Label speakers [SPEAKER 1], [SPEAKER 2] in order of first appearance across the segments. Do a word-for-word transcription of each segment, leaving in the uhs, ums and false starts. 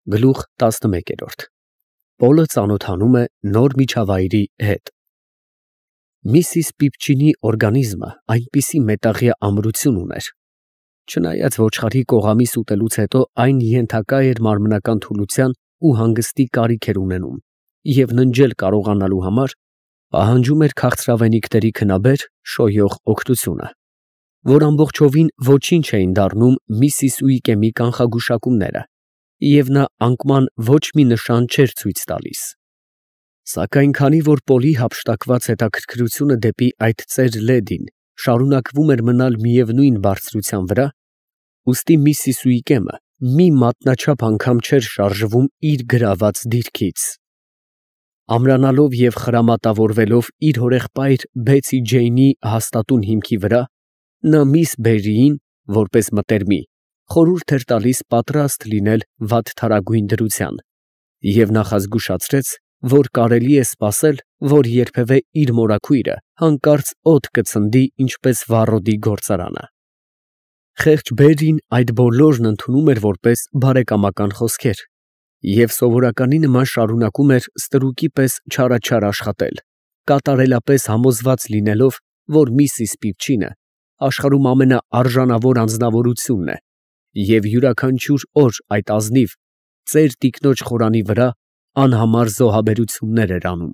[SPEAKER 1] Գլուխ տասնմեկ։ Պոլը ծանոթանում է նոր միջավայրի հետ։ Միսիս Պիպչինի օրգանիզմը այնպիսի մետաղյա ամրություն ուներ, չնայած ոչխարի կողամիս ուտելուց հետո այն ենթակա էր մարմնական թուլության ու հանգստի կարիք էր ունենում և ննջել կարողանալու համար պահանջում էր քաղցրավենիքների քնաբեր շոյող օգնությունը, որ ամբողջովին ոչինչ էին դառնում միսիս Ուիկեմի կանխագուշակումները, և նա անկման ոչ մի նշան չէր ցույց տալիս։ Սակայն քանի որ Պոլի հափշտակված հետաքրքրությունը դեպի այդ ծեր լեդին շարունակվում էր մնալ միևնույն բարձրության վրա, ուստի միսիս Ուիկեմը մի մատնաչափ անգամ չէր շարժվում իր գրաված դիրքից։ Ամրանալով և խրամատավորվելով իր հորեղբայր Բեցի Ջեյնի հաստատուն հիմքի վրա, նա միս Բերրիին, որպես մտերմի, խորհուրդ էր տալիս պատրաստ լինել վատթարագույն դրության և նախազգուշացրեց, որ կարելի է սպասել, որ երբևէ իր մորաքույրը հանկարծ օդ կցնդի ինչպես վառոդի գործարանը։ Խեղճ Բերրին այդ բոլորն ընդունում էր որպես բարեկամական խոսքեր և սովորականի նման շարունակում էր ստրուկի պես չարաչար աշխատել, կատարելապես համոզված լինելով, որ միսիս Պիպչինը աշխարհում ամենաարժանավոր անձնավորությունն է և յուրաքանչյուր օր այդ ազնիվ ծեր տիկնոջ խորանի վրա անհամար զոհաբերություններ էր անում։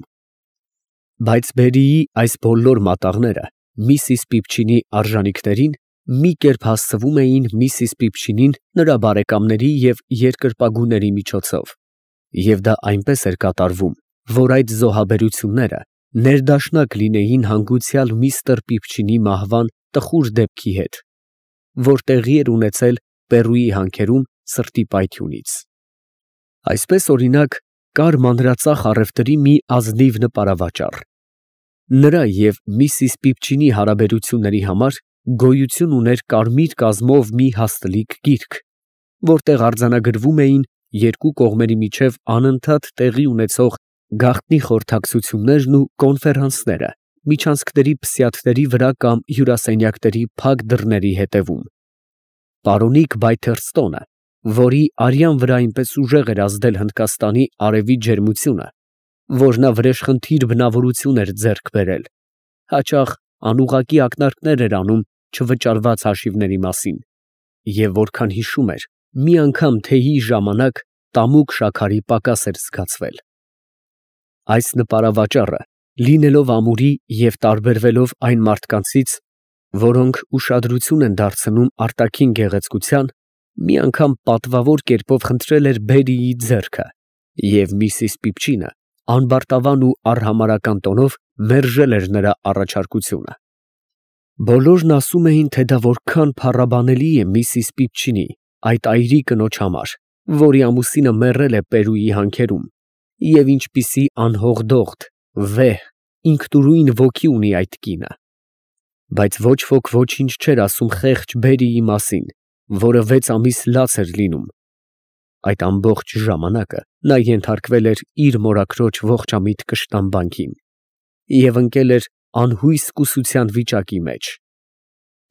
[SPEAKER 1] Բայց Բերրիի այս բոլոր մատաղները միսիս Պիպչինի արժանիքներին մի կերպ հասցվում էին միսիս Պիպչինին նրա բարեկամների և երկրպագուների միջոցով, և դա այնպես էր կատարվում, որ այդ զոհաբերությունները ներդաշնակ լինեին հանգուցյալ միսթր Պիպչինի մահվան տխուր դեպքի հետ, որ տեղի էր ունեցել Պերուի հանքերում սրտի պայթյունից։ Այսպես, օրինակ, կար մանրածախ առևտրի մի ազնիվ նպարավաճառ։ Նրա և միսիս Պիպչինի հարաբերությունների համար գոյություն ուներ կարմիր կազմով մի հաստլիկ գիրք, որտեղ արձանագրվում էին երկու կողմերի միջև անընդհատ տեղի ունեցող գաղտնի խորհրդակցություններն ու կոնֆերանսները միջանցքների փսյաթների վրա կամ հյուրասենյակների փակ դռների ետևում։ Պարոնիկ Բայթերստոնը, որի արյան վրա այնպես ուժեղ էր ազդել Հնդկաստանի արևի ջերմությունը, որ նա վրեժխնդիր բնավորություն էր ձեռք բերել, հաճախ անուղղակի ակնարկներ էր անում չվճարված հաշիվների մասին, և որքան հիշում էր, մի անգամ թեյի ժամանակ տամուկ շաքարի պակաս էր զգացվել։ Այս նպարավաճառը, լինելով ամուրի և տարբերվելով այն մարդկանցից, որոնք ուշադրություն են դարձնում արտաքին գեղեցկության, մի անգամ պատվավոր կերպով խնդրել էր Բերրիի ձեռքը, և միսիս Պիպչինը անբարտավան ու արհամարհական տոնով մերժել էր նրա առաջարկությունը։ Բոլորն ասում էին, թե դա որքան փառաբանելի է միսիս Պիպչինի, այդ այրի կնոջ համար, որի ամուսինը մեռել է Պերուի հանքերում, և ինչպիսի անհողդողդ, վեհ, ինքնուրույն ոգի ունի այդ կինը։ Բայց ոչ ոք ոչինչ չէր ասում խեղճ Բերրիի մասին, որը վեց ամիս լաց էր լինում։ Այդ ամբողջ ժամանակը նա ենթարկվել էր իր մորաքրոջ ողջամիտ կշտամբանքին և ընկել էր անհույս կուսության վիճակի մեջ։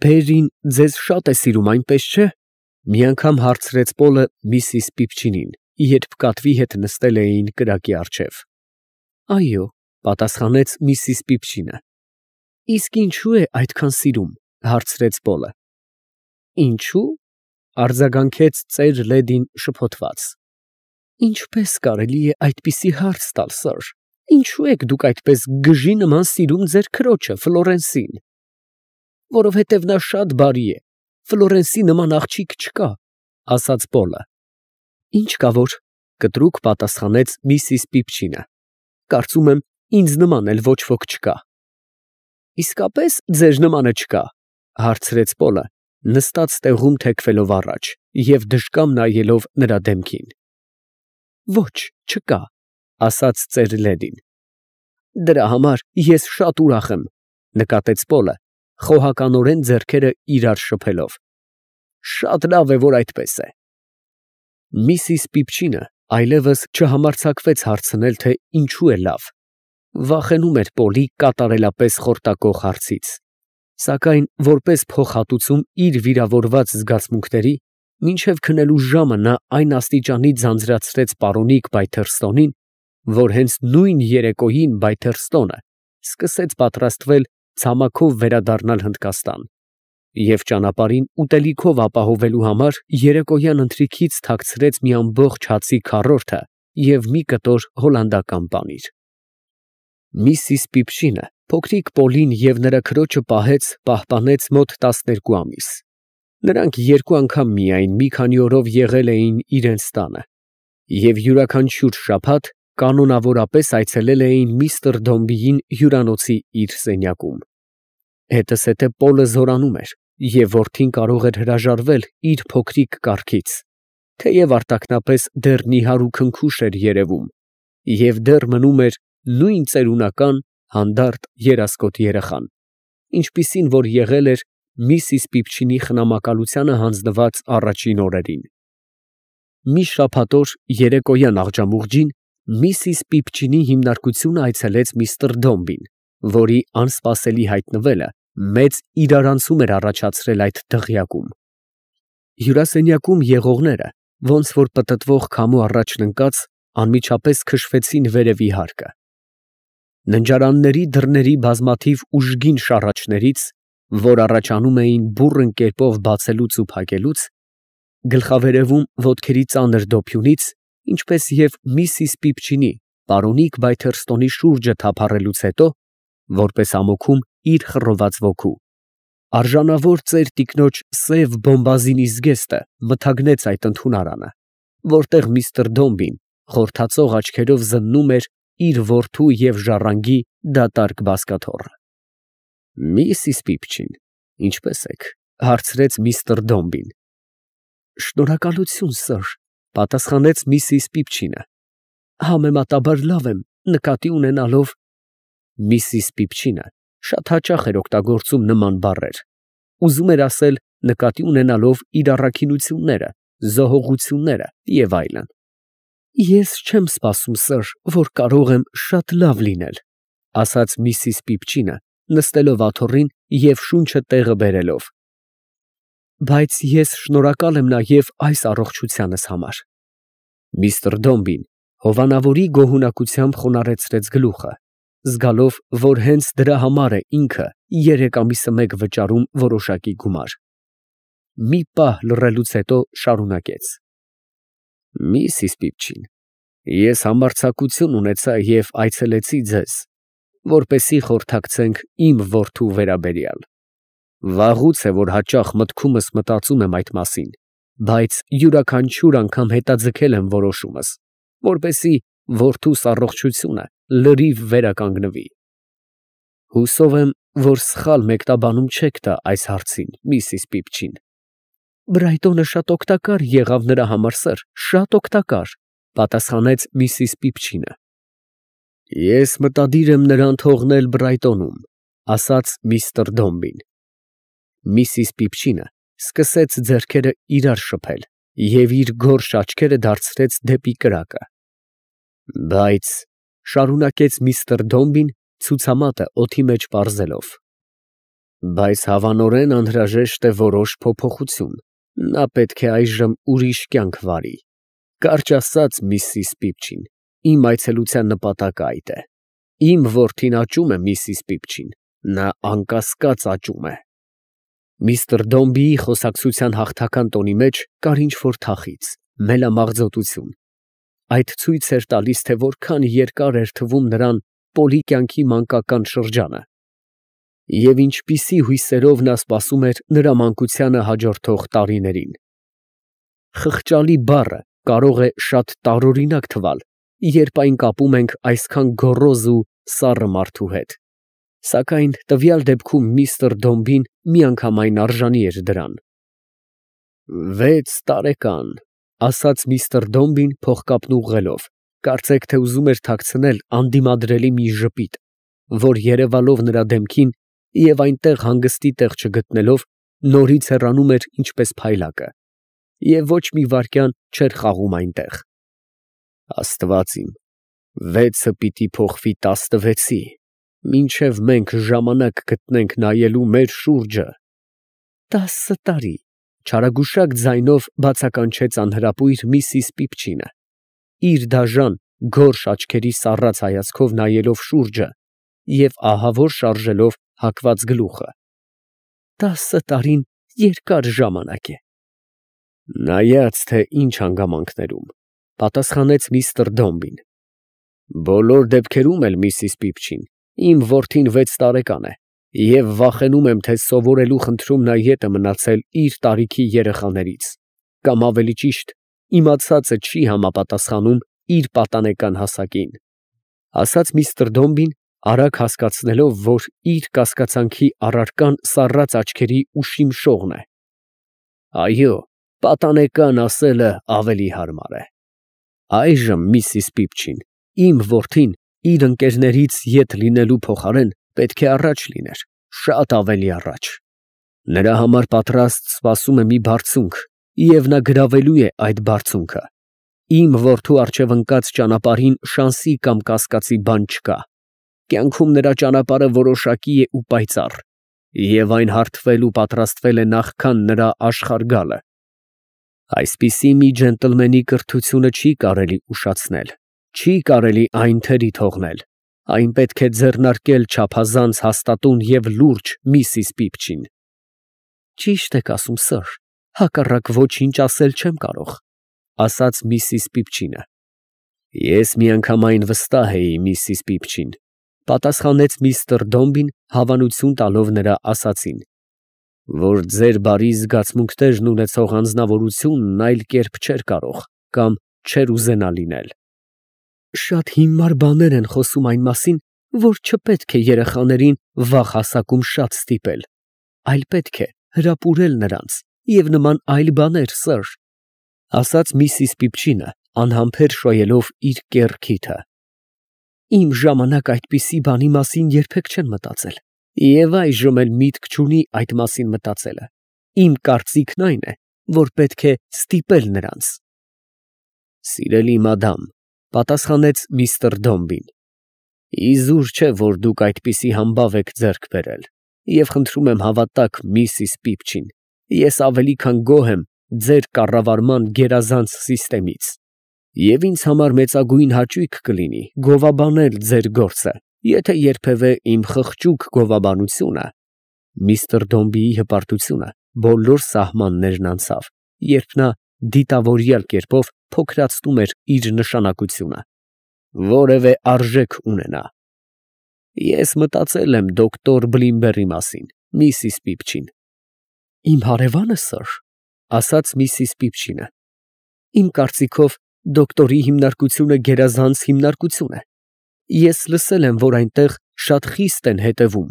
[SPEAKER 1] «Բերրին ձեզ շատ է սիրում, այնպես չէ՞, ֊ մի անգամ հարցրեց Պոլը միսիս Պիպչինին, երբ կատվի հետ նստել էին կրակի առջև։ ֊ Այո, ֊ պատասխանեց միսիս Պիպչինը։ ֊ Իսկ ինչո՞ւ է այդքան սիրում, ֊ հարցրեց Պոլը։ ֊ Ինչո՞ւ, ֊ արձագանքեց ծեր Լեդին շփոթված։ ֊ Ինչպե՞ս կարելի է այդպիսի հարց տալ, սըր, ինչո՞ւ եք դուք այդպես գժի նման սիրում ձեր քրոջը Ֆլորենսին։ ֊ Որովհետև նա շատ բարի է, Ֆլորենսի նման աղջիկ չկա, ֊ ասաց Պոլը։ ֊ Ինչ կա որ, ֊ կտրուկ պատասխանեց միսիս Պիպչինը, ֊ կարծում եմ, ինձ նման էլ ոչ ոք չկա։ ֊ Իսկապե՞ս ձեր նմանը չկա, ֊ հարցրեց Պոլը, նստած տեղում թեքվելով առաջ և դժկամ նայելով նրա դեմքին։ ֊ Ոչ, չկա, ֊ ասաց ծեր Լեդին։ ֊ Դրա համար ես շատ ուրախ եմ, ֊ նկատեց Պոլը, խոհականորեն ձեռքերը իրար շփելով։ ֊ Շատ լավ է, որ այդպես է։ Միսիս Պիպչինը այլևս չհամարձակվեց հարցնել, թե ինչու է լավ. վախենում էր Պոլի կատարելապես խորտակող հարցից, սակայն որպես փոխհատուցում իր վիրավորված զգացմունքների, Մինչև քնելու ժամը նա այն աստիճանի ձանձրացրեց պարոնիկ Բայթերստոնին, որ հենց նույն երեկոյին Բայթերստոնը սկսեց պատրաստվել ցամաքով վերադառնալ Հնդկաստան և ճանապարհին ուտելիքով ապահովելու համար երեկոյան ընթրիքից թաքցրեց մի ամբողջ հացի քառորդը և մի կտոր հոլանդական պանիր։ Միսիս Պիփչինը փոքրիկ Պոլին և նրա քրոջը պահեց, պահպանեց մոտ տասներկու ամիս։ Նրանք երկու անգամ միայն մի քանի օրով եղել էին իրենց տանը և յուրաքանչյուր շաբաթ կանոնավորապես այցելել էին միստր Դոմբիին հյուրանոցի իր սենյակում։ Հետզհետե Պոլը զորանում էր և որդին կարող էր հրաժարվել իր փոքրիկ կառքից, թեև արտաքնապես դեռ նիհար ու քնքուշ էր երևում և դեռ մնում էր նույն ծերունական, հանդարտ, երասկոտ երեխան, ինչպիսին որ եղել էր միսիս Պիփչինի խնամակալությանը հանձնված առաջին օրերին։ Մի շաբաթ օր երեկոյան աղջամուղջին միսիս Պիփչինի հիմնարկությունը այցելեց միստր Դոմբին, որի անսպասելի հայտնվելը մեծ իրարանցում էր առաջացրել այդ դղյակում։ Հյուրասենյակում եղողները, ոնց որ պտտվող քամու առաջն ընկած, անմիջապես քշվեցին վերևի հարկը։ Ննջարանների դռների բազմաթիվ ուժգին շառաչներից, որ առաջանում էին բուռն կերպով բացելուց ու փակելուց, գլխավերևում ոտքերի ծանր դոփյունից, ինչպես և միսիս Պիփչինի պարոնիկ Բայթերստոնի շուրջը թափառելուց հետո, որպես ամոքում իր խռոված ոգու, արժանավոր ծեր տիկնոջ սև բոմբազինի զգեստը մթագնեց այդ ընդունարանը, որտեղ միստր Դոմբին խորթացող աչքերով զննում էր իր որդու և ժառանգի դատարկ բազկաթոռը։ Միսիս Պիփչին, ինչպե՞ս եք, ֊ հարցրեց միստր Դոմբին։ Շնորհակալություն, սըր, ֊ պատասխանեց միսիս Պիփչինը, համեմատաբար լավ եմ, նկատի ունենալով… Միսիս Պիփչինը շատ հաճախ էր օգտագործում նման բառեր, ուզում էր ասել նկատի ունենալով իր առաքինությունները, զոհողությունները և այլն։ Ես չեմ սպասում, սըր, որ կարող եմ շատ լավ լինել, ֊ ասաց միսիս Պիփչինը, նստելով աթոռին և շունչը տեղը բերելով։ Բայց ես շնորհակալ եմ նաև այս առողջությանս համար։ Միստր Դոմբին հովանավորի գոհունակությամբ խոնարհեցրեց գլուխը, զգալով, որ հենց դրա համար է ինքը երեք ամիսը մեկ վճարում որոշակի գումար։ Մի պահ լռելուց հետո շարունակեց. Միսիս Պիփչին, ես համարձակություն ունեցա և այցելեցի ձեզ, որպեսզի խորհրդակցենք իմ որդու վերաբերյալ։ Վաղուց է, որ հաճախ մտքումս մտածում եմ այդ մասին, բայց յուրաքանչյուր անգամ հետաձգել եմ որոշումս, որպեսզի որդուս առողջությունը լրիվ վերականգնվի։ Հուսով եմ, որ սխալ մեկնաբանում չեք տա այս հարցին, միսիս Պիփչին։ Բրայտոնը շատ օգտակար եղավ նրա համար, սըր, շատ օգտակար, ֊ պատասխանեց միսիս Պիփչինը։ Ես մտադիր եմ նրան թողնել Բրայտոնում, ֊ ասաց միստր Դոմբին։ Միսիս Պիփչինը սկսեց ձեռքերը իրար շփել և իր գորշ աչքերը դարձրեց դեպի կրակը։ Բայց, ֊ շարունակեց միստր Դոմբին, ցուցամատը օդի մեջ պարզելով, բայց հավանորեն անհրաժեշտ է որոշ փոփոխություն, նա պետք է այժմ ուրիշ կյանք վարի։ Կարճ ասած, միսիս Պիփչին, իմ այցելության նպատակը այդ է։ Իմ որդին աճում է, միսիս Պիփչին, նա անկասկած աճում է։ Միստր Դոմբիի խոսակցության հաղթական տոնի մեջ կար ինչ֊որ թախիծ, մելամաղձոտություն։ Այդ ցույց էր տալիս, թե որքան երկար էր թվում նրան Պոլի կյանքի մանկական շրջանը և ինչպիսի հույսերով նա սպասում էր նրա մանկությանը հաջորդող տարիներին։ Խղճալի բառը կարող է շատ տարօրինակ թվալ, երբ այն կապում ենք այսքան գոռոզ ու սառը մարդու հետ, սակայն տվյալ դեպքում միստր Դոմբին միանգամայն արժանի էր դրան։ Վեց տարեկան, ֊ ասաց միստր Դոմբին փողկապն ուղղելով, կարծեք թե ուզում էր թաքցնել անդիմադրելի մի ժպիտ, որ երևալով նրա դեմքին և այնտեղ հանգստի տեղ չգտնելով, նորից հեռանում էր ինչպես փայլակը, և ոչ մի վայրկյան չէր խաղում այնտեղ։ Աստված իմ, վեցը պիտի փոխվի տասնվեցի, մինչև մենք ժամանակ գտնենք նայելու մեր շուրջը։ Տասը տարի, Չարագուշակ ձայնով բացականչեց անհրապույր միսիս Պիպչինը, իր դաժան, գորշ աչքերի սառած հայացքով նայելով շուրջը և ահավոր շարժելով հագված գլուխը։ «Տասը տարին երկար ժամանակ է»։ «Նայած թե ինչ հանգամանքներում», պատասխանեց միստր Դոմբին։ «Բոլոր դեպքերում էլ, միսիս Պիպչին, իմ որդին վեց տարեկան է, և վախենում եմ, թե սովորելու խնդրում նա ետ է մնացել իր տարիքի երեխաներից, կամ ավելի ճիշտ, իմացածը չի համապատասխանում իր պատանեկան հասակին», ֊ ասաց միստր Դոմբին, արագ հասկացնելով, որ իր կասկածանքի առարկան սառած աչքերի ուշիմ շողն է։ «Այո, պատանեկան ասելը ավելի հարմար է։ Այժմ, միսիս Պիպչին, իմ որդին իր ընկերներից ետ լինելու փոխարեն պետք է առաջ լիներ, շատ ավելի առաջ։ Նրա համար պատրաստ սպասում է մի բարձունք, և նա գրավելու է այդ բարձունքը։ Իմ որդու առջև ընկած ճանապարհին շանսի կամ կասկածի բան չկա։ Կյանքում նրա ճանապարհը որոշակի է ու պայծառ, և այն հարթվել ու պատրաստվել է նախքան նրա աշխարհ գալը։ Այսպիսի մի ջենտլմենի կրթությունը չի կարելի ուշացնել, չի կարելի այն թերի թողնել, այն պետք է ձեռնարկել չափազանց հաստատուն և լուրջ, միսիս Պիպչին»։ «Ճիշտ եք ասում, սըր, հակառակ ոչինչ ասել չեմ կարող», ֊ ասաց միսիս Պիպչինը։ «Ես միանգամայն վստահ էի, միսիս Պիպչին», ֊ պատասխանեց միստր Դոմբին, հավանություն տալով նրա ասածին, «որ ձեր բարի զգացմունքներն ունեցող անձնավորությունն այլ կերպ չէր կարող կամ չէր ուզենա լինել»։ «Շատ հիմար բաներ են խոսում այն մասին, որ չպետք է երեխաներին վաղ հասակում շատ ստիպել, այլ պետք է հրապուրել նրանց և նման այլ բաներ, սըր», ֊ ասաց միսիս Պիպչինը, անհամբեր շոյելով իր կեռ քիթը։ «Իմ ժամանակ այդպիսի բանի մասին երբեք չեն մտածել, և այժմ էլ միտք չունի այդ մասին մտածելը։ Իմ կարծիքն այն է, որ պետք է ստիպել նրանց»։ «Սիրելի մադամ», ֊ պատասխանեց միստր Դոմբին, «իզուր չէ, որ դուք այդպիսի համբավ եք ձեռք բերել, և խնդրում եմ հավատաք, միսիս Պիպչին, ես ավելի քան գոհ եմ ձեր կառավարման գերազանց սիստեմից, և ինձ համար մեծագույն հաճույք կլինի գովաբանել ձեր գործը, եթե երբևէ իմ խղճուկ գովաբանությունը…» Միստր Դոմբիի հպարտությունը բոլոր սահմաններն անցավ, երբ նա դիտավորյալ կերպով փոքրացնում էր իր նշանակությունը, «որևէ արժեք ունենա։ Ես մտածել եմ դոկտոր Բլիմբերի մասին, միսիս Պիպչին»։ «Իմ հարևանը, սըր», ֊ ասաց միսիս Պիպչինը, «իմ կարծիքով դոկտորի հիմնարկությունը գերազանց հիմնարկություն է։ Ես լսել եմ, որ այնտեղ շատ խիստ են հետևում։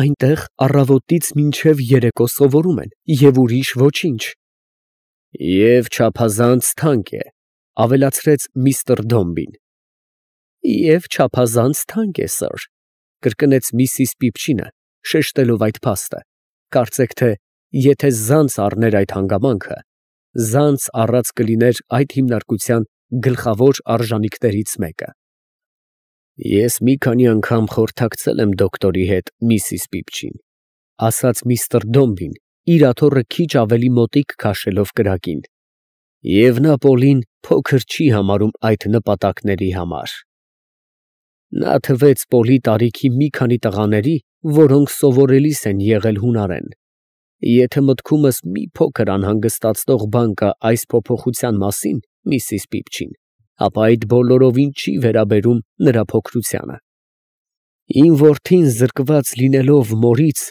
[SPEAKER 1] Այնտեղ առավոտից մինչև երեկո սովորում են, և ուրիշ ոչինչ»։ «Եվ չափազանց թանկ է», ֊ ավելացրեց միստր Դոմբին։ «Եվ չափազանց թանկ է, սըր», ֊ կրկնեց միսիս Պիպչինը, շեշտելով այդ փաստը, կարծեք թե, եթե զանց առներ այդ հանգամանքը, զանց առած կլիներ այդ հիմնարկության գլխավոր արժանիքներից մեկը։ «Ես մի քանի անգամ խորհրդակցել եմ դոկտորի հետ, միսիս Պիպչին», ֊ ասաց միստր Դոմբին, իր աթոռը քիչ ավելի մոտիկ քաշելով կրակին, «և նա Պոլին փոքր չի համարում այդ նպատակների համար։ Նա թվեց Պոլի տարիքի մի քանի տղաների, որոնք սովորելիս են եղել հունարեն։ Եթե մտքումս մի փոքր անհանգստացնող բան կա այս փոփոխության մասին, միսիս Պիպչին, ապա այդ բոլորովին չի վերաբերում նրա փոքրությանը։ Իմ որդին զրկված լինելով մորից,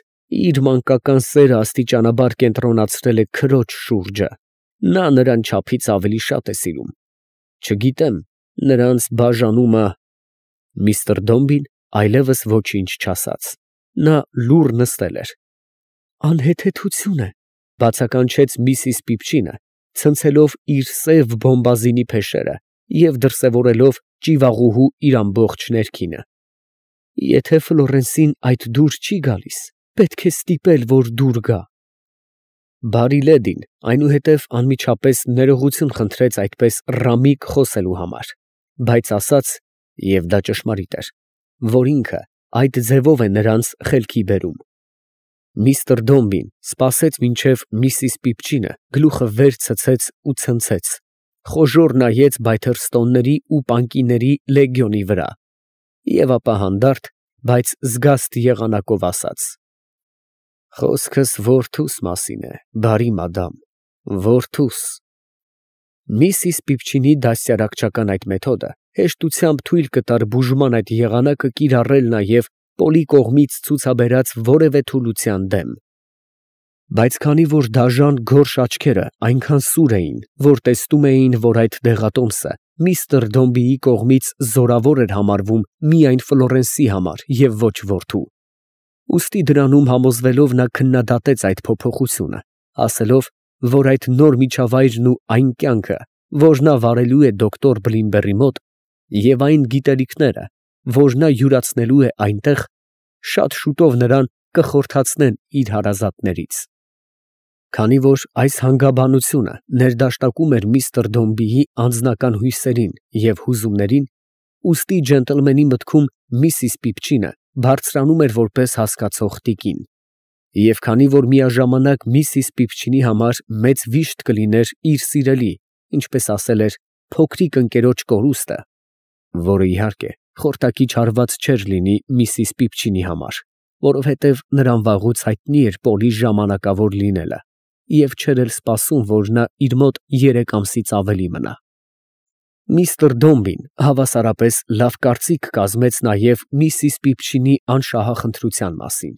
[SPEAKER 1] իր մանկական սերը աստիճանաբար կենտրոնացրել է քրոջ շուրջը, նա նրան չափից ավելի շատ է սիրում։ Չգիտեմ, նրանց բաժանումը…» Միստր Դոմբին այլևս ոչինչ չասաց. նա լուռ նստել էր։ «Անհեթեթություն է», ֊ բացականչեց միսիս Պիպչինը, ցնցելով իր սև բոմբազինի փեշերը և դրսևորելով ճիվաղուհու իր ամբողջ ներքինը։ «Եթե Ֆլորենսին այդ դուր չի գալիս, պետք է ստիպել, որ դուր գա»։ Բարի լեդին այնուհետև անմիջապես ներողություն խնդրեց այդպես ռամիկ խոսելու համար, բայց ասաց, և դա ճշմարիտ էր, որ ինքը այդ ձևով է նրանց խելքի բերում։ Միստր Դոմբին սպասեց մինչև միսիս Պիպչինը գլուխը վեր ցցեց ու ցնցեց, խոժոռ նայեց Բայթերստոնների ու պանկիների լեգիոնի վրա և ապա հանդարտ, բայց զգաստ եղանակով ասաց. «Խոսքս որդուս մասին է, բարի մադամ, որդուս»։ Միսիս Պիպչինի դաստիարակչական այդ մեթոդը հեշտությամբ թույլ կտար բուժման այդ եղանակը կիրառել նաև Պոլի կողմից ցուցաբերած որևէ թուլության դեմ, բայց քանի որ դաժան գորշ աչքերը այնքան սուր էին, որ տեսնում էին, որ այդ դեղատոմսը միստր Դոմբիի կողմից զորավոր էր համարվում միայն Ֆլորենսի համար և ոչ որդու, ուստի դրանում համոզվելով նա քննադատեց այդ փոփոխությունը, ասելով, որ այդ նոր միջավայրն ու այն կյանքը, որ նա վարելու է դոկտոր Բլիմբերի մոտ, և այն գիտելիքները, որ նա յուրացնելու է այնտեղ, շատ շուտով նրան կխորթացնեն իր հարազատներից։ Քանի որ այս հանգաբանությունը ներդաշնակում էր միստր Դոմբիի անձնական հույսերին և հուզումներին, ուստի ջենտլմենի մտքում միսիս Պիպչինը բարձրանում էր որպես հասկացող տիկին, և քանի որ միաժամանակ միսիս Պիպչինի համար մեծ վիշտ կլիներ իր սիրելի, ինչպես ասել էր, փոքրիկ ընկերոջ կորուստը, որը, իհարկե, խորտակիչ հարված չէր լինի միսիս Պիպչինի համար, որովհետև նրան վաղուց հայտնի էր Պոլի ժամանակավոր լինելը և չէր էլ սպասում, որ նա իր մոտ երեք ամսից ավելի մնա։ Միստր Դոմբին հավասարապես լավ կարծիք կազմեց նաև միսիս Պիպչինի անշահախնդրության մասին։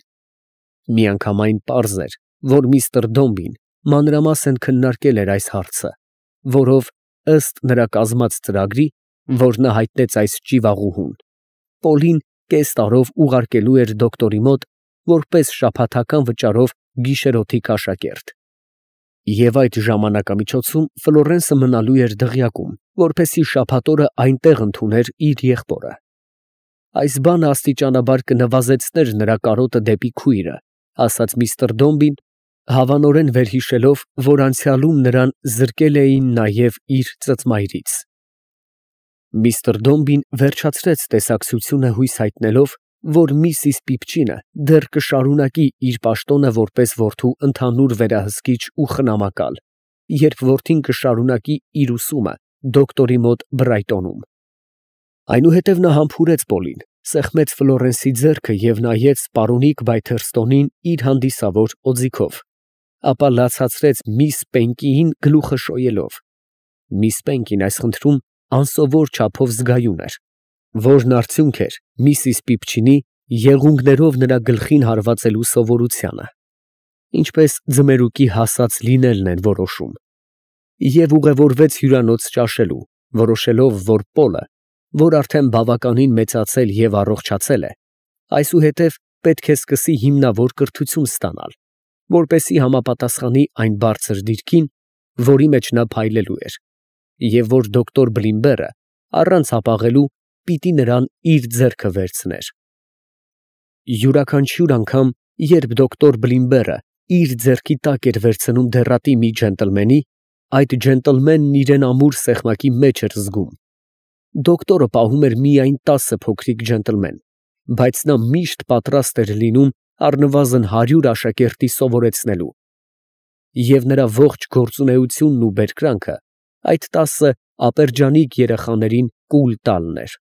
[SPEAKER 1] Միանգամայն պարզ էր, որ միստր Դոմբին մանրամասն քննարկել էր այս հարցը, որով, ըստ նրա կազմած ծրագրի, որ նա հայտնեց այս ճիվաղուհուն, Պոլին կես տարով ուղարկելու էր դոկտորի մոտ որպես շաբաթական վճարով գիշերօթիկ աշակերտ, և այդ ժամանակամիջոցում Ֆլորենսը մնալու էր դղյակում, որպեսզի շաբաթ օրը այնտեղ ընդուներ իր եղբորը։ Այս բանը աստիճանաբար կնվազեցներ նրա կարոտը դեպի քույրը, ասաց միստր Դոմբին, հավանորեն վերհիշելով, որ անցյալում նրան զրկել էին նաև իր ծծմայրից։ Միստր Դոմբին վերջացրեց տեսակցությունը հույս հայտնելով, որ միսիս Պիպչինը դեռ կշարունակի իր պաշտոնը որպես որդու ընդհանուր վերահսկիչ ու խնամակալ, երբ որդին կշարունակի իր ուսումը դոկտորի մոտ Բրայտոնում։ Այնուհետև նա համբուրեց Պոլին, սեղմեց Ֆլորենսի ձեռքը և նայեց պարոնիկ Բայթերստոնին իր հանդիսավոր օձիքով, ապա լացացրեց միս Պենկիին գլուխը շոյելով (միս Պենկին այս խնդրում անսովոր չափով զգայուն էր), որն արդյունք էր միսիս Պիպչինի եղունգներով նրա գլխին հարվածելու սովորությանը, ինչպես ձմերուկի հասած լինելն են որոշում, և ուղևորվեց հյուրանոց ճաշելու, որոշելով, որ Պոլը, որ արդեն բավականին մեծացել և առողջացել է, այսուհետև պետք է սկսի հիմնավոր կրթություն ստանալ, որպեսզի համապատասխանի այն բարձր դիրքին, որի մեջ նա փայլելու էր, և որ դոկտոր Բլիմբերը առանց հապաղելու պիտի նրան իր ձեռքը վերցներ։ Յուրաքանչյուր անգամ, երբ դոկտոր Բլիմբերը իր ձեռքի տակ էր վերցնում դեռատի մի ջենտլմենի, այդ ջենտլմենն իրան ամուր սեղմակի մեջ էր զգում։ Դոկտորը պահում էր միայն տասը փոքրիկ ջենտլմեն, բայց նա միշտ պատրաստ էր լինում առնվազն հարյուր աշակերտի սովորեցնելու, և նրա ողջ գործունեությունն ու բերկրանքը այդ տասը ապերջանիկ երեխաներին կուլ տալն էր։